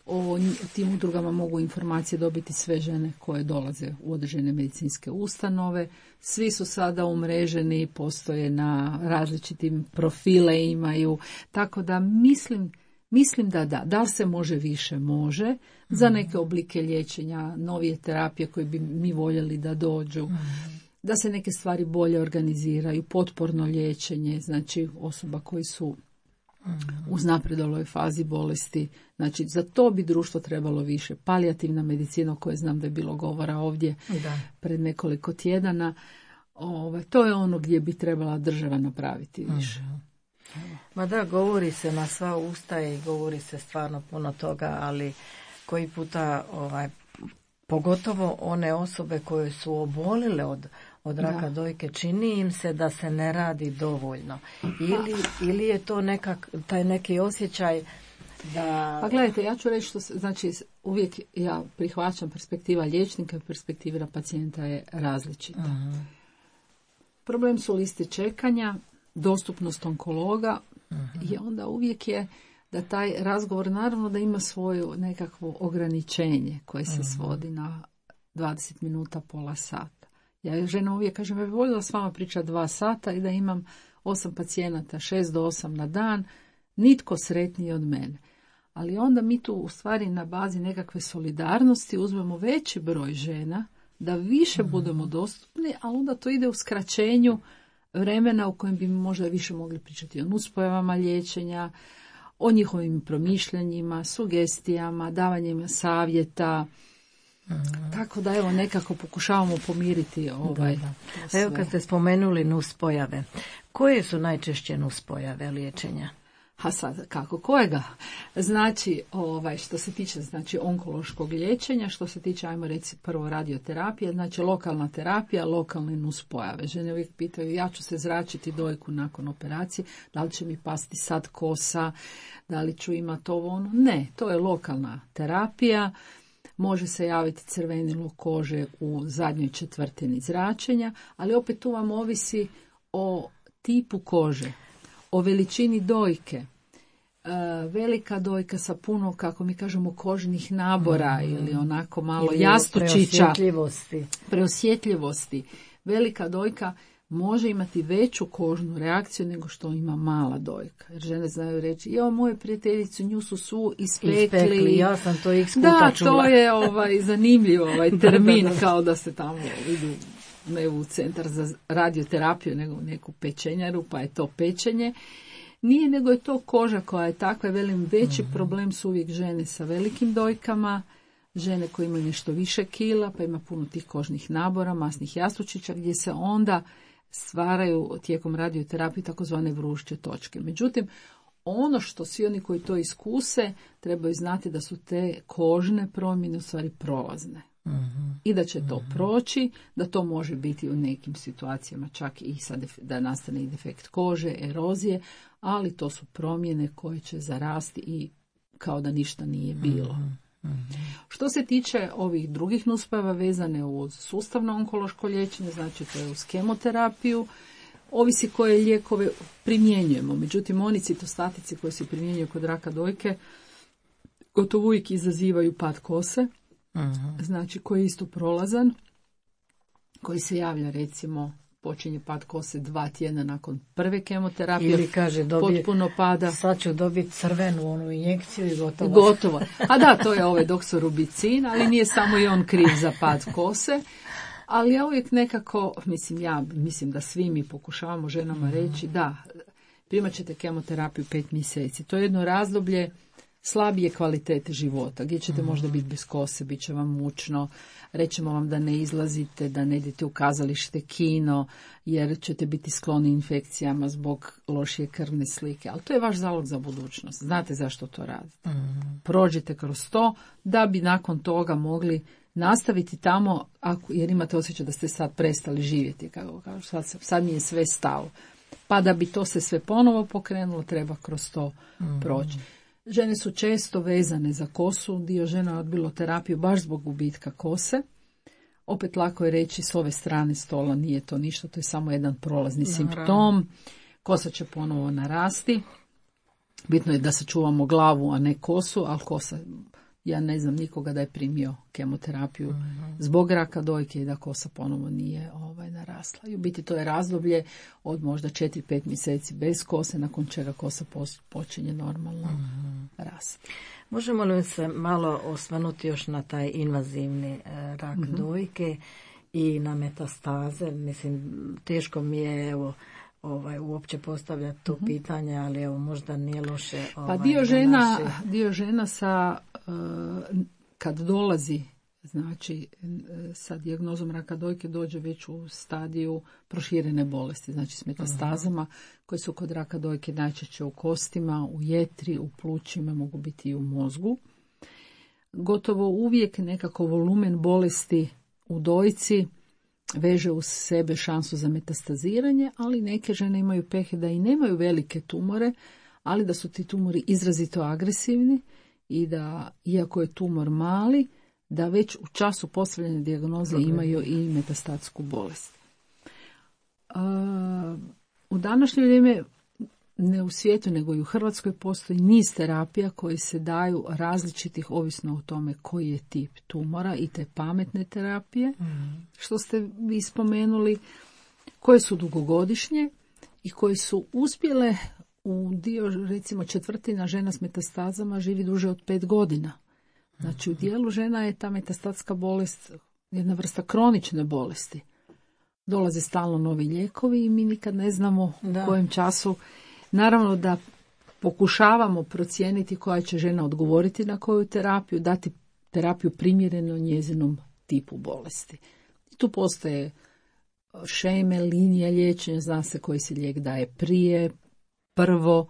O tim udrugama mogu informacije dobiti sve žene koje dolaze u određene medicinske ustanove. Svi su sada umreženi, postoje na različitim profile imaju. Tako da mislim Mislim da da, da li se može više, može, za neke oblike liječenja, novije terapije koje bi mi voljeli da dođu, da se neke stvari bolje organiziraju, potporno liječenje, znači osoba koji su u uznapredoloj fazi bolesti, znači za to bi društvo trebalo više. Palijativna medicina, o kojoj znam da je bilo govora ovdje da. pred nekoliko tjedana, ove, to je ono gdje bi trebala država napraviti više. Ma da, govori se na sva usta i govori se stvarno puno toga, ali koji puta, ovaj, pogotovo one osobe koje su obolile od, od raka da. dojke, čini im se da se ne radi dovoljno. Ili, ili je to nekak, taj neki osjećaj da... Pa gledajte, ja ću reći što se, znači uvijek ja prihvaćam perspektiva liječnika i perspektiva pacijenta je različita. Uh-huh. Problem su liste čekanja, dostupnost onkologa uh-huh. i onda uvijek je da taj razgovor naravno da ima svoje nekakvo ograničenje koje se uh-huh. svodi na dvadeset minuta, pola sata. Ja žena uvijek kažem, ja bih voljela s vama pričati dva sata i da imam osam pacijenata, šest do osam na dan, nitko sretniji od mene. Ali onda mi tu u stvari na bazi nekakve solidarnosti uzmemo veći broj žena, da više uh-huh. budemo dostupni, ali onda to ide u skraćenju vremena u kojem bi možda više mogli pričati o nuspojavama liječenja, o njihovim promišljanjima, sugestijama, davanjem savjeta. Mm. Tako da evo nekako pokušavamo pomiriti ovaj. Da, da. Evo kad ste spomenuli nuspojave, koje su najčešće nuspojave liječenja? A sad kako, kojega? Znači, ovaj, što se tiče znači onkološkog liječenja, što se tiče, ajmo reći prvo radioterapije, znači lokalna terapija, lokalne nuspojave. Žene uvijek pitaju, ja ću se zračiti dojku nakon operacije, da li će mi pasti sad kosa, da li ću imati ovo ono. Ne, to je lokalna terapija. Može se javiti crvenilo kože u zadnjoj četvrtini zračenja, ali opet tu vam ovisi o tipu kože, o veličini dojke. Velika dojka sa puno, kako mi kažemo, kožnih nabora mm. ili onako malo ili jastučića. Preosjetljivosti. Preosjetljivosti. Velika dojka može imati veću kožnu reakciju nego što ima mala dojka. Jer žene znaju reći, jo, moje prijateljicu, nju su svu ispekli. Ispekli, ja sam to x puta da, čula. to je ovaj, zanimljiv ovaj termin, da, da, da. Kao da se tamo idu ne u centar za radioterapiju, nego u neku pečenjaru, pa je to pečenje. Nije, nego je to koža koja je takva, velim, veći mm-hmm. problem su uvijek žene sa velikim dojkama, žene koje imaju nešto više kila, pa ima puno tih kožnih nabora, masnih jastučića, gdje se onda stvaraju tijekom radioterapije takozvane vrušće točke. Međutim, ono što svi oni koji to iskuse trebaju znati da su te kožne promjene u stvari prolazne. Mm-hmm. I da će to mm-hmm. proći, da to može biti u nekim situacijama čak i sa def- da nastane i defekt kože, erozije, ali to su promjene koje će zarasti i kao da ništa nije bilo. Mm-hmm. Što se tiče ovih drugih nuspojava vezane uz sustavno onkološko liječenje, znači to je uz kemoterapiju, ovisi koje lijekove primjenjujemo. Međutim, oni citostatici koji se primjenjuju kod raka dojke gotovo uvijek izazivaju pad kose, uh-huh. znači koji je isto prolazan, koji se javlja recimo počinje pad kose dva tjedna nakon prve kemoterapije. Ili kaže dobije, potpuno pada. Sad ću dobiti crvenu onu injekciju i gotovo. Gotovo. A da, to je ovaj doksorubicin, ali nije samo i on kriv za pad kose. Ali ja uvijek nekako, mislim ja, mislim da svi mi pokušavamo ženama reći da, primat ćete kemoterapiju pet mjeseci. To je jedno razdoblje slabije kvalitete života, gdje ćete možda biti bez kose, bit će vam mučno, rećemo vam da ne izlazite, da ne idete u kazalište, kino, jer ćete biti skloni infekcijama zbog lošije krvne slike. Ali to je vaš zalog za budućnost. Znate zašto to radite. Prođite kroz to da bi nakon toga mogli nastaviti tamo, ako, jer imate osjećaj da ste sad prestali živjeti, kako kažu, sad, sad mi je sve stalo. Pa da bi to se sve ponovo pokrenulo, treba kroz to mm-hmm. proći. Žene su često vezane za kosu, dio žena je odbilo terapiju baš zbog gubitka kose. Opet lako je reći s ove strane stola nije to ništa, to je samo jedan prolazni Naravno. simptom. Kosa će ponovo narasti. Bitno je da sačuvamo glavu, a ne kosu, ali kosa, ja ne znam nikoga da je primio kemoterapiju mm-hmm. zbog raka dojke i da kosa ponovo nije ovaj, narasla. I u biti to je razdoblje od možda četiri pet mjeseci bez kose, nakon čega kosa počinje normalno mm-hmm. rasti. Možemo li se malo osvrnuti još na taj invazivni e, rak mm-hmm. dojke i na metastaze? Mislim, teško mi je evo ovaj uopće postavljati to mm-hmm. pitanje, ali evo možda nije loše. Ovaj, pa dio žena, naše... dio žena sa uh, kad dolazi znači sa dijagnozom raka dojke dođe već u stadiju proširene bolesti, znači s metastazama uh-huh. koje su kod raka dojke najčešće u kostima, u jetri, u plućima, mogu biti i u mozgu. Gotovo uvijek nekako volumen bolesti u dojci veže uz sebe šansu za metastaziranje, ali neke žene imaju pehe da i nemaju velike tumore, ali da su ti tumori izrazito agresivni i da, iako je tumor mali, da već u času postavljene dijagnoze okay. imaju i metastatsku bolest. Uh, u današnje vrijeme, ne u svijetu, nego i u Hrvatskoj, postoji niz terapija koji se daju različitih, ovisno o tome koji je tip tumora, i te pametne terapije, mm. što ste vi spomenuli, koje su dugogodišnje i koje su uspjele u dio, recimo četvrtina žena s metastazama živi duže od pet godina. Znači u dijelu žena je ta metastatska bolest jedna vrsta kronične bolesti. Dolaze stalno novi lijekovi i mi nikad ne znamo da. u kojem času. Naravno da pokušavamo procijeniti koja će žena odgovoriti na koju terapiju, dati terapiju primjereno njezinom tipu bolesti. I tu postoje šeme, linije liječenja, zna se koji se lijek daje prije, prvo,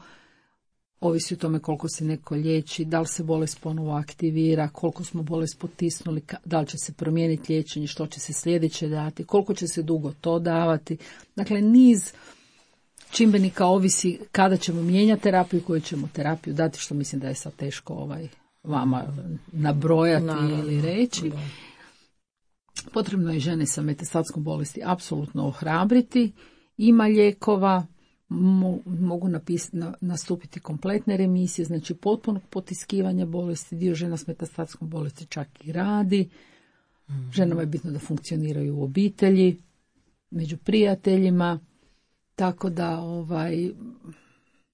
ovisi o tome koliko se neko liječi, da li se bolest ponovo aktivira, koliko smo bolest potisnuli, da li će se promijeniti liječenje, što će se sljedeće dati, koliko će se dugo to davati. Dakle, niz čimbenika ovisi kada ćemo mijenjati terapiju i koju ćemo terapiju dati, što mislim da je sad teško ovaj, vama nabrojati Naravno. ili reći. Da. Potrebno je žene sa metastatskom bolesti apsolutno ohrabriti. Ima lijekova, mo, mogu napis, na, nastupiti kompletne remisije, znači potpunog potiskivanja bolesti, dio žena s metastatskom bolesti čak i radi. Mm-hmm. Ženama je bitno da funkcioniraju u obitelji, među prijateljima, tako da ovaj,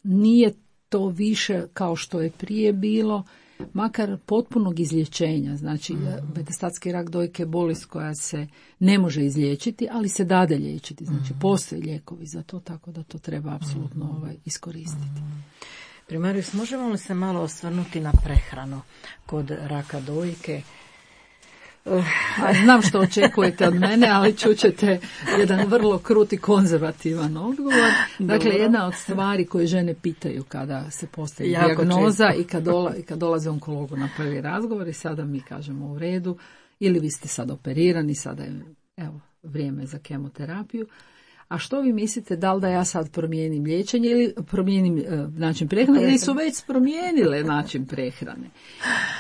nije to više kao što je prije bilo, makar potpunog izlječenja. Znači, mm-hmm. metastatski rak dojke je bolest koja se ne može izliječiti, ali se dade liječiti. Znači, mm-hmm. postoje lijekovi za to, tako da to treba apsolutno mm-hmm. ovaj, iskoristiti. Mm-hmm. Primarius, možemo li se malo osvrnuti na prehranu kod raka dojke? Znam što očekujete od mene, ali čućete jedan vrlo krut i konzervativan odgovor. Dakle, Dobro. Jedna od stvari koje žene pitaju kada se postavi dijagnoza i kad, dola, i kad dolaze onkologu na prvi razgovor i sada mi kažemo u redu, ili vi ste sad operirani, sada je evo, vrijeme za kemoterapiju. A što vi mislite, da li da ja sad promijenim liječenje ili promijenim e, način prehrane, ili su već promijenile način prehrane?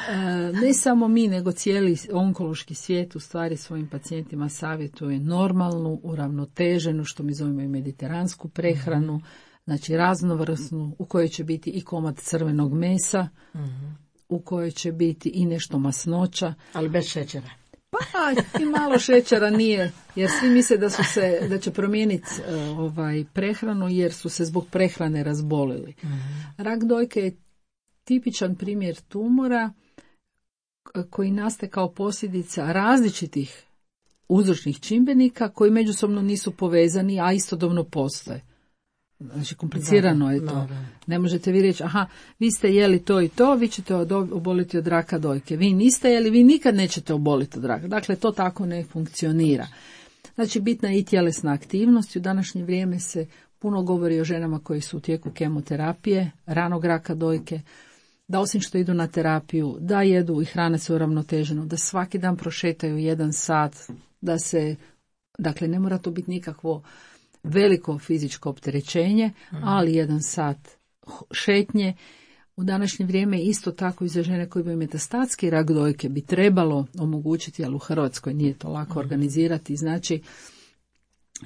E, ne samo mi, nego cijeli onkološki svijet u stvari svojim pacijentima savjetuje normalnu, uravnoteženu, što mi zovemo i mediteransku prehranu, znači raznovrsnu, u kojoj će biti i komad crvenog mesa, mm-hmm. u kojoj će biti i nešto masnoća. Ali bez šećera. Pa i malo šećera nije, jer svi misle da su se, da će promijeniti uh, ovaj prehranu jer su se zbog prehrane razbolili. Mm-hmm. Rak dojke je tipičan primjer tumora koji nastaje kao posljedica različitih uzročnih čimbenika koji međusobno nisu povezani, a istodobno postoje. Znači, komplicirano da, je to. Da, da. Ne možete vi reći, aha, vi ste jeli to i to, vi ćete oboliti od raka dojke. Vi niste jeli, vi nikad nećete oboliti od raka. Dakle, to tako ne funkcionira. Znači, bitna je i tjelesna aktivnost. U današnje vrijeme se puno govori o ženama koji su u tijeku kemoterapije, ranog raka dojke, da osim što idu na terapiju, da jedu i hrane se uravnoteženo, da svaki dan prošetaju jedan sat, da se, dakle, ne mora to biti nikakvo veliko fizičko opterećenje, ali jedan sat šetnje. U današnje vrijeme isto tako i za žene koje imaju metastatski rak dojke bi trebalo omogućiti, ali u Hrvatskoj nije to lako organizirati, znači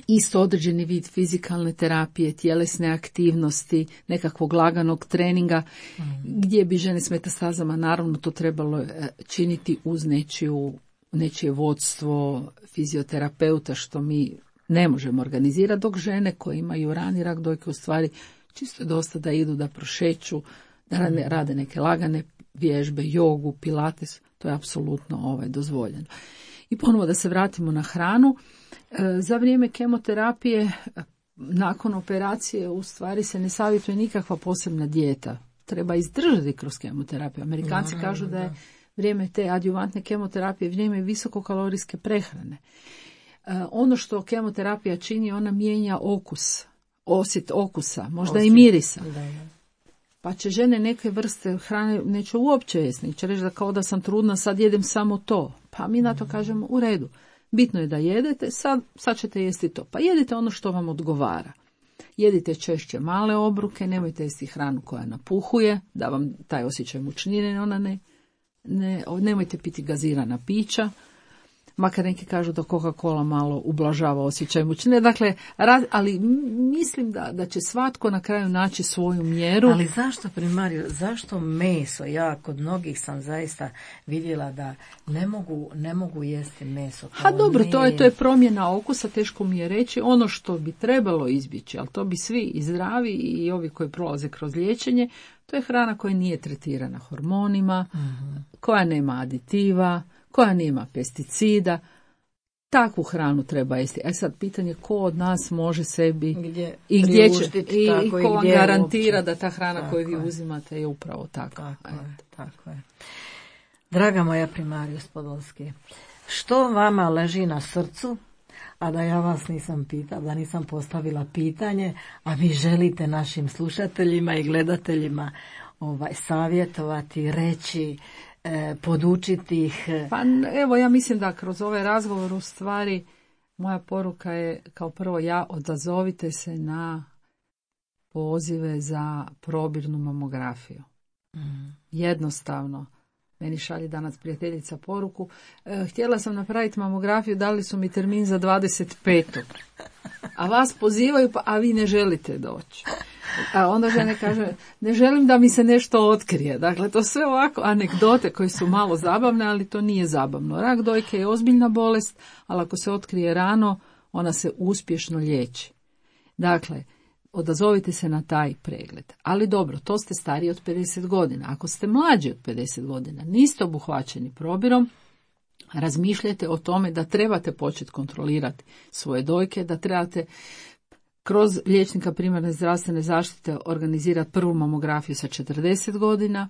isto određeni vid fizikalne terapije, tjelesne aktivnosti, nekakvog laganog treninga, mm. gdje bi žene s metastazama naravno to trebalo činiti uz nečiju, nečije vodstvo fizioterapeuta, što mi ne možemo organizirati, dok žene koje imaju rani rak dojke u stvari čisto je dosta da idu, da prošeću, da rade, rade neke lagane vježbe, jogu, pilates, to je apsolutno ovaj, dozvoljeno. I ponovo da se vratimo na hranu, za vrijeme kemoterapije, nakon operacije, u stvari se ne savjetuje nikakva posebna dijeta. Treba izdržati kroz kemoterapiju. Amerikanci no, kažu da je vrijeme te adjuvantne kemoterapije vrijeme visokokalorijske prehrane. Ono što kemoterapija čini, ona mijenja okus, osjet okusa, možda osjet. I mirisa. Da, da. Pa će žene neke vrste hrane neće uopće jesti, će reći da kao da sam trudna, sad jedem samo to. Pa mi na to kažemo u redu. Bitno je da jedete, sad, sad ćete jesti to. Pa jedite ono što vam odgovara. Jedite češće male obruke, nemojte jesti hranu koja napuhuje, da vam taj osjećaj mučnine, ona ne, ne, nemojte piti gazirana pića. Makar neki kažu da Coca-Cola malo ublažava osjećaj mučnine. Dakle, raz, ali mislim da, da će svatko na kraju naći svoju mjeru. Ali zašto, primariju, zašto meso? Ja kod mnogih sam zaista vidjela da ne mogu, ne mogu jesti meso. Ha dobro, to je, to je promjena okusa, teško mi je reći. Ono što bi trebalo izbjeći, ali to bi svi i zdravi i ovi koji prolaze kroz liječenje, to je hrana koja nije tretirana hormonima, mm-hmm. koja nema aditiva, koja nema pesticida. Takvu hranu treba jesti. E sad, pitanje ko od nas može sebi gdje i gdje će i, tako, i ko vam garantira uopće. Da ta hrana tako koju vi je. uzimate je upravo takva. Tako je, tako je. Draga moja Primarius Podolski, što vama leži na srcu, a da ja vas nisam pitala, da nisam postavila pitanje, a vi želite našim slušateljima i gledateljima ovaj, savjetovati, reći, E, podučiti ih? Pa evo, ja mislim da kroz ovaj razgovor u stvari moja poruka je kao prvo, ja odazovite se na pozive za probirnu mamografiju. Mm. Jednostavno. meni šalje danas prijateljica poruku, e, htjela sam napraviti mamografiju, dali su mi termin za dvadeset petog A vas pozivaju, pa, a vi ne želite doći. A onda žene kaže, ne želim da mi se nešto otkrije. Dakle, to sve ovako anegdote koje su malo zabavne, ali to nije zabavno. Rak dojke je ozbiljna bolest, ali ako se otkrije rano, ona se uspješno liječi. Dakle, odazovite se na taj pregled. Ali dobro, to ste stariji od pedeset godina. Ako ste mlađi od pedeset godina, niste obuhvaćeni probirom, razmišljajte o tome da trebate početi kontrolirati svoje dojke, da trebate kroz liječnika primarne zdravstvene zaštite organizirati prvu mamografiju sa četrdeset godina.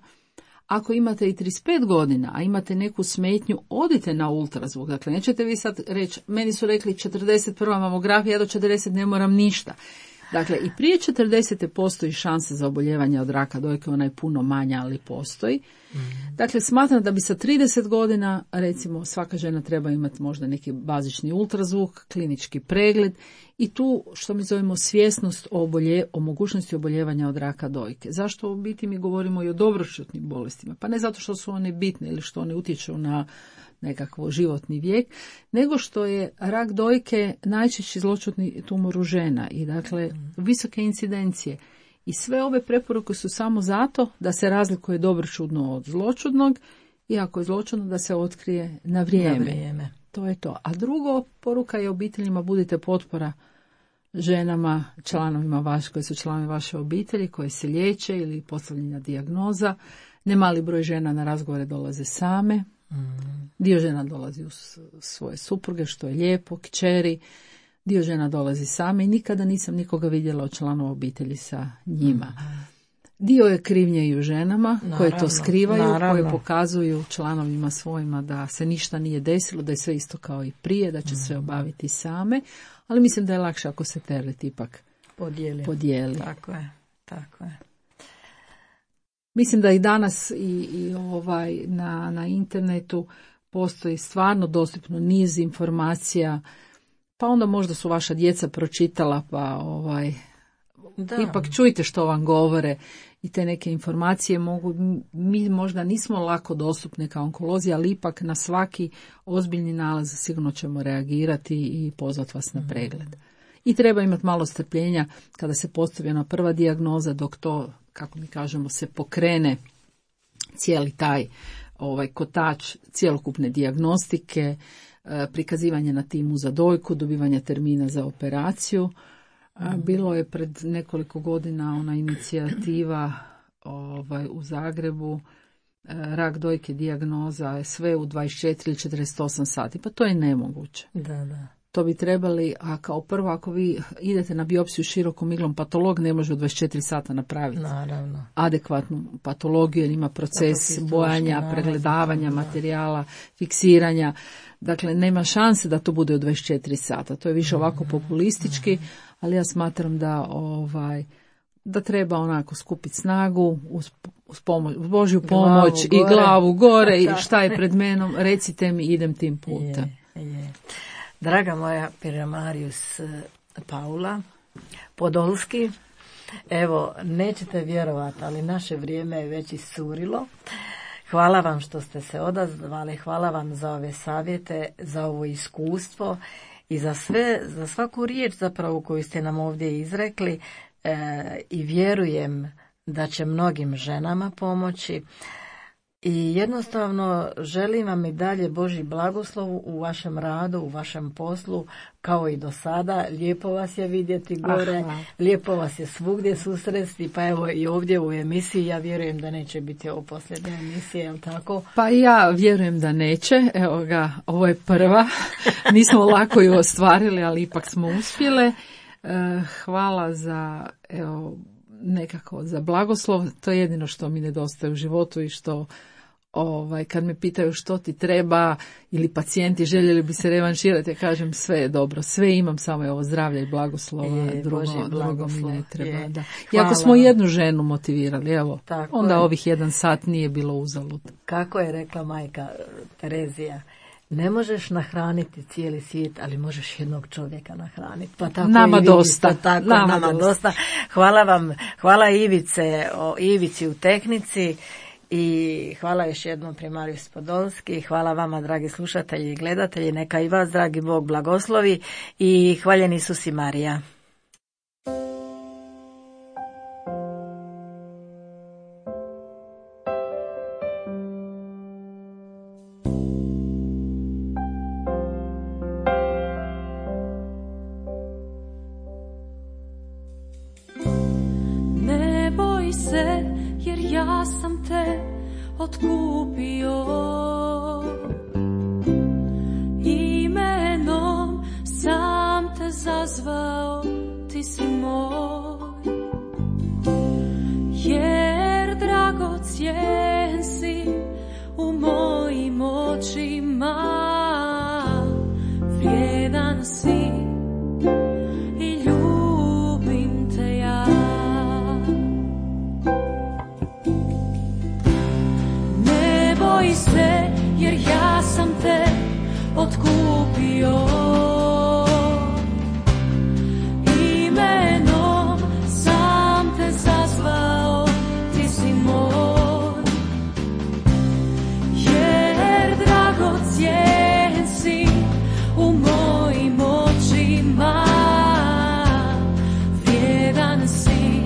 Ako imate i trideset pet godina, a imate neku smetnju, odite na ultrazvuk. Dakle, nećete vi sad reći, meni su rekli četrdeset prva mamografija, ja do četrdeset ne moram ništa. Dakle, i prije četrdesete postoji šansa za oboljevanje od raka dojke, ona je puno manja, ali postoji. Mm. Dakle, smatram da bi sa trideset godina, recimo, svaka žena treba imati možda neki bazični ultrazvuk, klinički pregled i tu, što mi zovemo, svjesnost o, obolje, o mogućnosti oboljevanja od raka dojke. Zašto u biti mi govorimo i o dobroćutnim bolestima? Pa ne zato što su one bitne ili što one utječu na nekakvo životni vijek, nego što je rak dojke najčešći zloćudni tumor u žena i dakle visoke incidencije. I sve ove preporuke su samo zato da se razlikuje dobroćudno od zloćudnog i ako je zloćudno da se otkrije na vrijeme. Na vrijeme. To je to. A drugo, poruka je obiteljima, budite potpora ženama, članovima vaš, koji su članovi vaše obitelji, koje se liječe ili postavljena dijagnoza. Nemali broj žena na razgovore dolaze same. Dio žena dolazi uz svoje supruge, što je lijepo, kćeri. Dio žena dolazi same i nikada nisam nikoga vidjela od članova obitelji sa njima. Dio je krivnje i u ženama, naravno, koje to skrivaju, naravno, koje pokazuju članovima svojima da se ništa nije desilo, da je sve isto kao i prije, da će mm. sve obaviti same, ali mislim da je lakše ako se teret ipak podijeli. podijeli. Tako je, tako je. Mislim da i danas i, i ovaj na, na internetu postoji stvarno dostupno niz informacija, pa onda možda su vaša djeca pročitala, pa ovaj da. Ipak čujte što vam govore i te neke informacije mogu, mi možda nismo lako dostupni kao onkolozi, ali ipak na svaki ozbiljni nalaz sigurno ćemo reagirati i pozvati vas na pregled. I treba imati malo strpljenja kada se postavi ona prva dijagnoza, dok to, kako mi kažemo, se pokrene cijeli taj ovaj kotač cjelokupne dijagnostike, prikazivanje na timu za dojku, dobivanje termina za operaciju. Bilo je pred nekoliko godina ona inicijativa ovaj, u Zagrebu, rak dojke dijagnoza, sve u dvadeset četiri ili četrdeset osam sati, pa to je nemoguće. Da, da. To bi trebali, a kao prvo ako vi idete na biopsiju širokom iglom, patolog ne može u dvadeset četiri sata napraviti naravno adekvatnu patologiju jer ima proces bojanja, naravno, pregledavanja da. materijala, fiksiranja. Dakle, nema šanse da to bude u dvadeset četiri sata. To je više ovako populistički, ali ja smatram da ovaj da treba onako skupiti snagu uz, uz, pomoć, uz Božju pomoć glavu i glavu gore i šta je pred menom, recite mi, idem tim putem. Je, je. Draga moja Piramarius Paula Podolski, evo, nećete vjerovati, ali naše vrijeme je već iscurilo. Hvala vam što ste se odazvali, hvala vam za ove savjete, za ovo iskustvo i za sve, za svaku riječ zapravo koju ste nam ovdje izrekli e, i vjerujem da će mnogim ženama pomoći. I jednostavno želim vam i dalje Božji blagoslov u vašem radu, u vašem poslu, kao i do sada. Lijepo vas je vidjeti gore, Aha. lijepo vas je svugdje susresti, pa evo i ovdje u emisiji. Ja vjerujem da neće biti ovo posljednja emisija, je li tako? Pa ja vjerujem da neće. Evo ga, ovo je prva. Nismo lako ju ostvarili, ali ipak smo uspjele. Hvala za, evo, nekako za blagoslov. To je jedino što mi nedostaje u životu i što Ovaj, kad me pitaju što ti treba ili pacijenti željeli bi se revanširati, ja kažem sve je dobro, sve imam, samo je ovo zdravlje i blagoslova, je, drugo, drugo mi ne treba. Da. I ako smo jednu ženu motivirali, evo, tako onda je. Ovih jedan sat nije bilo uzalud. Kako je rekla majka Terezija, ne možeš nahraniti cijeli svijet, ali možeš jednog čovjeka nahraniti. Pa tako nama i dosta. Vi, tako, nama, nama dosta. dosta. Hvala vam, hvala Ivice, o Ivici u tehnici. I hvala još jednom primarius Podolski, hvala vama dragi slušatelji i gledatelji, neka i vas dragi Bog blagoslovi i hvaljen Isus i Marija. Jer ja sam te otkupio, imenom sam te zazvao, ti si moj. Jer dragocjen si u mojim očima, vrijedan si i ljubim te ja. Boj se, jer ja sam te otkupio, imenom sam te zazvao, ti si moj. Jer dragocjen si u mojim očima, vrijedan si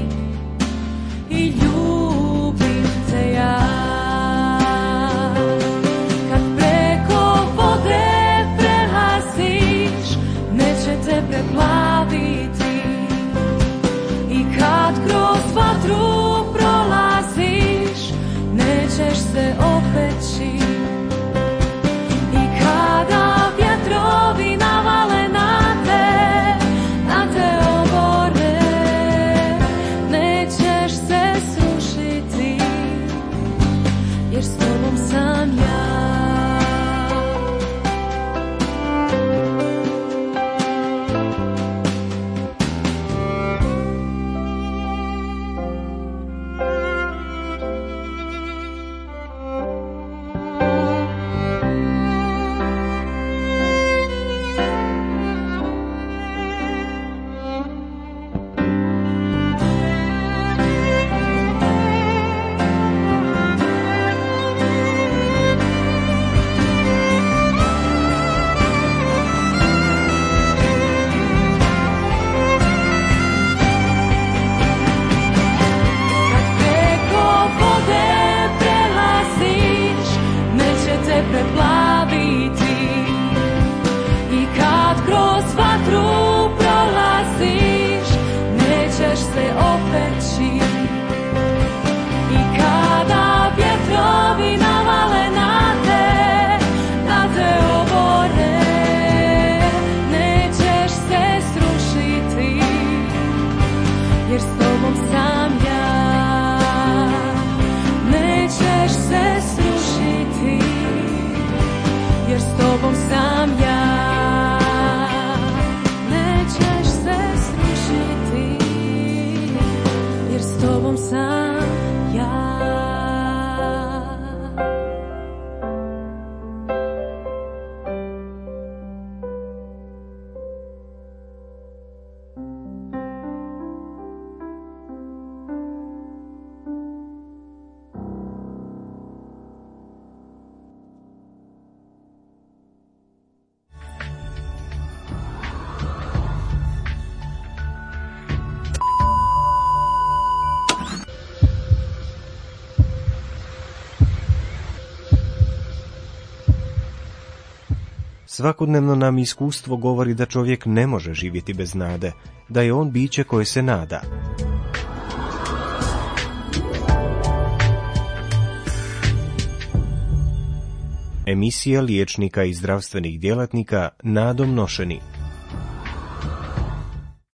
i ljubim te ja. Preplaviti i kad kroz vatru prolaziš, nećeš se opeći. I kada vjetrovi navale na te, na te obore, nećeš se srušiti, jer s tobom sam ja. Svakodnevno nam iskustvo govori da čovjek ne može živjeti bez nade, da je on biće koje se nada. Emisija liječnika i zdravstvenih djelatnika nadom nošeni.